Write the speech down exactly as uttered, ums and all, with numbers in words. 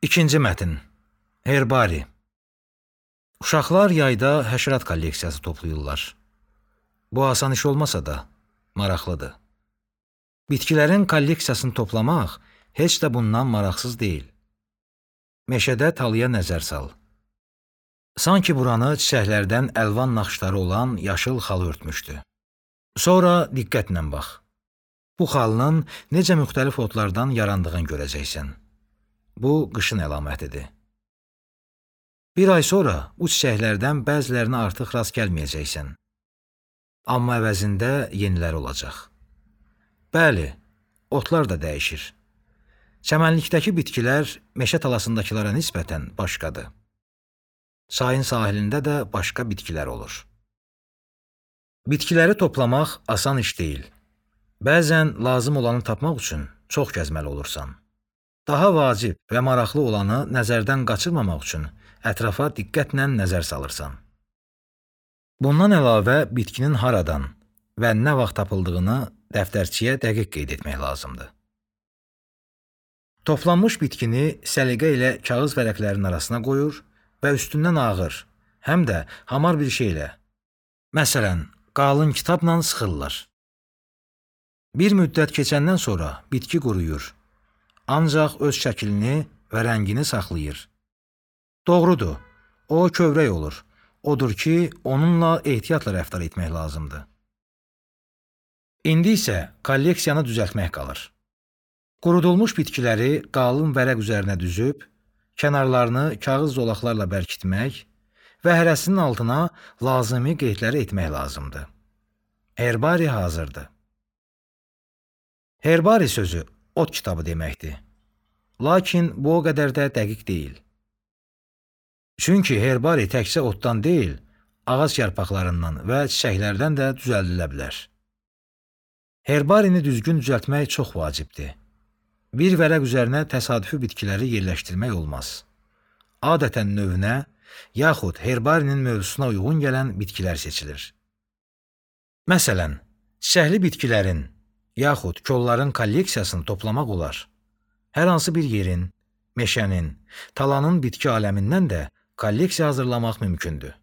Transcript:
İkinci mətn. Herbari. Uşaqlar yayda həşərat kolleksiyası toplayırlar. Bu asan iş olmasa da maraqlıdır. Bitkilərin kolleksiyasını toplamaq heç də bundan maraqsız deyil. Meşədə talıya nəzər sal. Sanki buranı çiçəklərdən əlvan naxışları olan yaşıl xalı örtmüşdü. Sonra diqqətlə bax. Bu xalının necə müxtəlif otlardan yarandığını görəcəksən. Bu qışın əlamətidir. Bir ay sonra bu çiçəklərdən bəzilərinə artıq rast gəlməyəcəksən. Amma əvəzində yeniləri olacaq. Bəli, otlar da dəyişir. Çəmənlikdəki bitkilər meşə talasındakılara nisbətən başqadır. Çayın sahilində də başqa bitkilər olur. Bitkiləri toplamaq asan iş deyil. Bəzən lazım olanı tapmaq üçün çox gəzməli olursan. Daha vacib və maraqlı olanı nəzərdən qaçırmamaq üçün ətrafa diqqətlə nəzər salırsan. Bundan əlavə bitkinin haradan və nə vaxt tapıldığını dəftərçiyə dəqiq qeyd etmək lazımdır. Toplanmış bitkini səliqə ilə kağız vərəqlərinin arasına qoyur və üstündən ağır, həm də hamar bir şeylə, məsələn, qalın kitabla sıxırlar. Bir müddət keçəndən sonra bitki quruyur, ancaq öz şəklini və rəngini saxlayır. Doğrudur, o kövrək olur. Odur ki, onunla ehtiyatla rəftar etmək lazımdır. İndi isə kolleksiyanı düzəltmək qalır. Qurudulmuş bitkiləri qalın vərəq üzərinə düzüb, kənarlarını kağız zolaqlarla bərkitmək və hərəsinin altına lazımi qeydləri etmək lazımdır. Herbari hazırdır. Herbari sözü ot kitabı deməkdir. Lakin bu o qədər də dəqiq deyil. Çünki herbari təkcə otdan deyil, ağac yarpaqlarından və çiçəklərdən də düzəldilə bilər. Herbarini düzgün düzəltmək çox vacibdir. Bir vərəq üzərinə təsadüfi bitkiləri yerləşdirmək olmaz. Adətən növünə, yaxud herbarinin mövzusuna uyğun gələn bitkilər seçilir. Məsələn, çiçəkli bitkilərin, yaxud kolların kolleksiyasını toplamaq olar. Hər hansı bir yerin, meşənin, talanın bitki aləmindən də kolleksiya hazırlamaq mümkündür.